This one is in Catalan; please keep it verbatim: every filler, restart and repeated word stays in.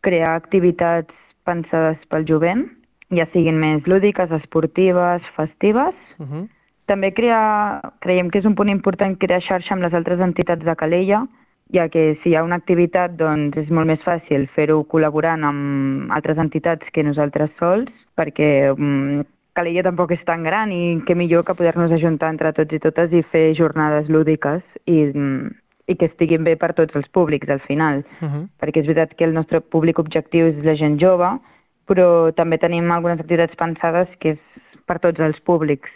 crear activitats pensades pel jovent, ja siguin més lúdiques, esportives, festives. Uh -huh. També crear, creiem que és un punt important crear xarxa amb les altres entitats de Calella, ja que si hi ha una activitat doncs és molt més fàcil fer-ho col·laborant amb altres entitats que nosaltres sols, perquè um, Calella tampoc és tan gran i què millor que poder-nos ajuntar entre tots i totes i fer jornades lúdiques i, um, i que estiguin bé per tots els públics al final, Uh -huh. perquè és veritat que el nostre públic objectiu és la gent jove, però també tenim algunes activitats pensades que és per tots els públics,